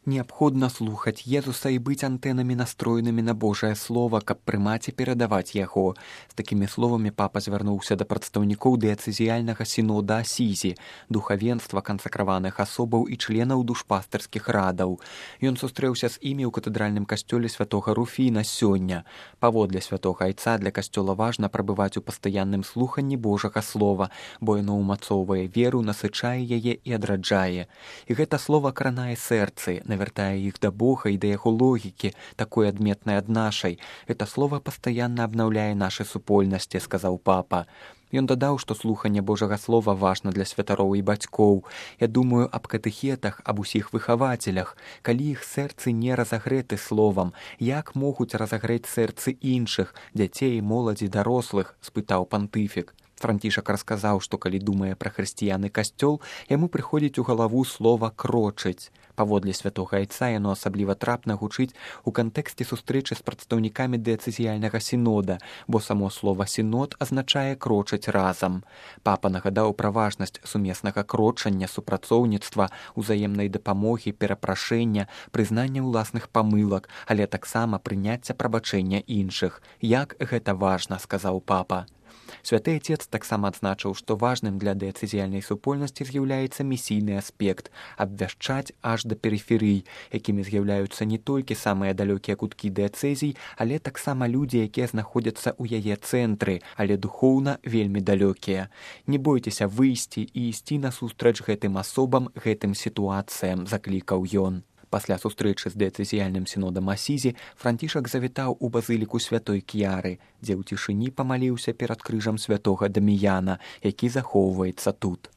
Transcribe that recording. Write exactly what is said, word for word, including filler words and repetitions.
Неабходна слухаць Езуса і быць антэнамі настроенымі на Божае Слова, каб прымаць і перадаваць яго. З такімі словамі папа звярнуўся да прадстаўнікоў дыяцэзіяльнага сінода Асізі, духавенства, кансакраваных асобаў і членаў душпастырскіх радаў. Ён сустрэўся з імі ў катэдральным касцёле святога Руфіна сёння. Паводле святога айца для касцёла важна прабываць у пастаянным слуханні Божага Слова, бо яно ўмацоўвае веру, насычае яе і адраджае. І гэта слова кранае сэрцы, навяртае іх да Бога і да яго логікі, такой адметнай ад нашай. Это слово пастаянна абнаўляе нашы супольнасці, сказаў папа. Ён дадаў, што слуханне Божага Слова важна для святароў і бацькоў. Я думаю аб катэхетах, аб усіх выхавацелях. Калі іх сэрцы не разагрэты словам, як могуць разагрэць сэрцы іншых, дзяцей, моладзі, дарослых, спытаў пантыфік. Францішак расказаў, што калі думае пра хрысціян і касцёл, яму прыходзіць у галаву слова «крочыць». Паводле святога айца яно асабліва трапна гучыць у кантэксце сустрэчы з прадстаўнікамі дыяцэзіяльнага сінода, бо само слова «сінод» азначае «крочыць разам». Папа нагадаў пра важнасць сумеснага крочання, супрацоўніцтва, узаемнай дапамогі, перапрашэння, прызнання ўласных памылак, але таксама прыняцця прабачэння іншых. Як гэта важна, сказаў папа. Святы Отец таксама адзначыў, што важным для дыяцэзіяльнай супольнасці з'яўляецца місійны аспект – абвяшчаць аж да перыферый, якімі з'яўляюцца не толькі самыя далёкія куткі дыяцэзій, але таксама людзі, якія знаходзяцца ў яе цэнтры, але духоўна вельмі далёкія. Не бойцеся выйсці і ісці насустрач гэтым асобам, гэтым сітуацыям, заклікаў ён. Пасля сустрэчы з дыяцэзіяльным сінодам Асізі Францішак завітаў у базыліку святой Кіяры, дзе ў цішыні памаліўся перад крыжам святога Даміяна, які захоўваецца тут.